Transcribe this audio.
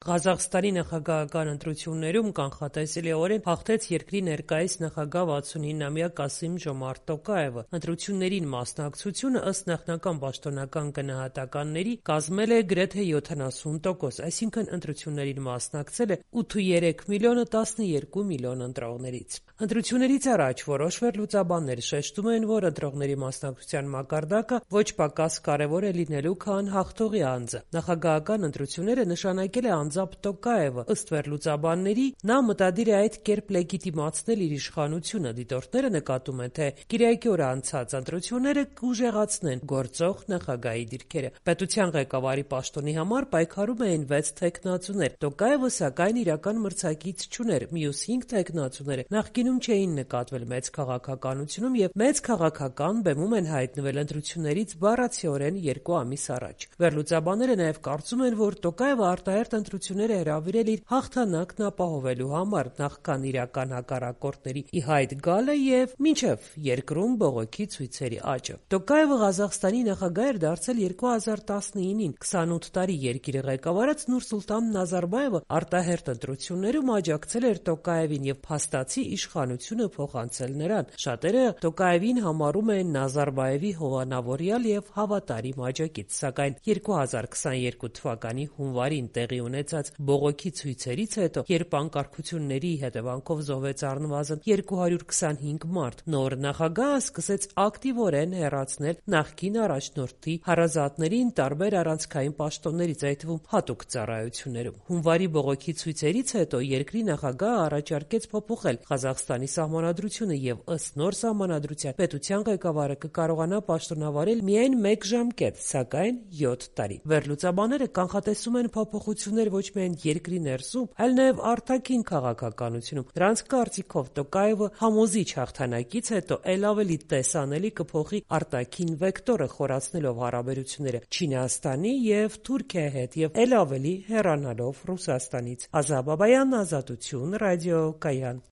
Ղազախստանի նախագահական ընտրություններում կանխատեսելիորեն հաղթեց երկրի ներկայիս նախագահ 69-ամյա Կասիմ Ժոմարտ Տոկաևը։ Ընտրություններին մասնակցությունը ըստ նախնական պաշտոնական գնահատականների կազմել է գրեթե 70%, այսինքն ընտրություններին մասնակցել է 8.3 միլիոնը 12 միլիոն ընտրողներից։ Ընտրություններից առաջ որոշ վերլուծաբաններ շեշտում են, որ ընտրողների մասնակցության մակարդակը ոչ պակաս կարևոր է լինելու, քան հաղթողի անձը։ Նախագահական ընտրությունները նշանակել է անձամբ Տոկաևը։ Ըստ վերլուծաբանների, նա մտադիր է այդ կերպ լեգիտիմացնել իր իշխանությունը։ Դիտորդները նկատում են, թե կիրակի օր անցած ընտրությունները կուժեղացնեն գործող նախագահի դիրքերը։ Պետության ղեկավարի պաշտոնի համար պայքարում էին 6 թեկնածուներ։ Տոկաևը, սակայն, իրական մրցակից չուներ։ Մյուս 5 թեկնածուները նախկինում չէին նկատվել մեծ քաղաքականությունում եւ մեծ քաղաքական բեմում են հայտնվել ընտրություններից բառացիորեն 2 ամիս առաջ։ Վերլուծաբանները նաեւ կարծում են, որ Տոկաևը արտահերթ ընտրություններ է հրավիրել իր հաղթանակն ապահովելու համար, նախքան իրական հակառակորդների ի հայտ գալը եւ մինչեւ երկրում բողոքի ցույցերի աճը։ Տոկաևը Ղազախստանի նախագահ էր դարձել 2019-ին։ 28 տարի երկիրը ղեկավարած Նուրսուլտան Նազարբաևը արտահերթ ընտրություններում աջակցել էր Տոկաևին եւ փաստացի իշխանությունը փոխանցել նրան։ Շատերը Տոկաևին համարում են Նազարբաևի հովանավորյալ եւ հավատարիմ աջակից, սակայն 2022 թվականի հունվարին տեղի ունեցած բողոքի ցույցերից հետո, երբ անկարգությունների հետևանքով զոհվեց առնվազն 225 մարդ, նոր նախագահը սկսեց ակտիվորեն հեռացնել նախկին առաջնորդի հարազատներին տարբեր առանցքային պաշտոններից, այդ թվում հատուկ ծառայություններում։ Հունվարի բողոքի ցույցերից հետո երկրի նախագահը առաջարկեց փոփոխել Ղազախստանի սահմանադրությունը եւ ըստ նոր սահմանադրության պետության ղեկավարը կկարողանա պաշտոնավարել միայն 1 ժամկետ, սակայն 7 տարի։ Վերլուծաբանները կանխատեսում են փոփոխություններ ոչ միայն երկրի ներսում, այլ նաեւ արտաքին քաղաքականությունում։ Նրանց կարծիքով Տոկաևը համոզիչ հաղթանակից հետո էլ ավելի տեսանելի կփոխի արտաքին վեկտորը, խորացնելով հարաբերությունները Չինաստանի եւ Թուրքիայի հետ եւ էլ ավելի հեռանալով Ռուսաստանից։ Ազա Բաբայան, Ազատություն, Ռադիո Կայան։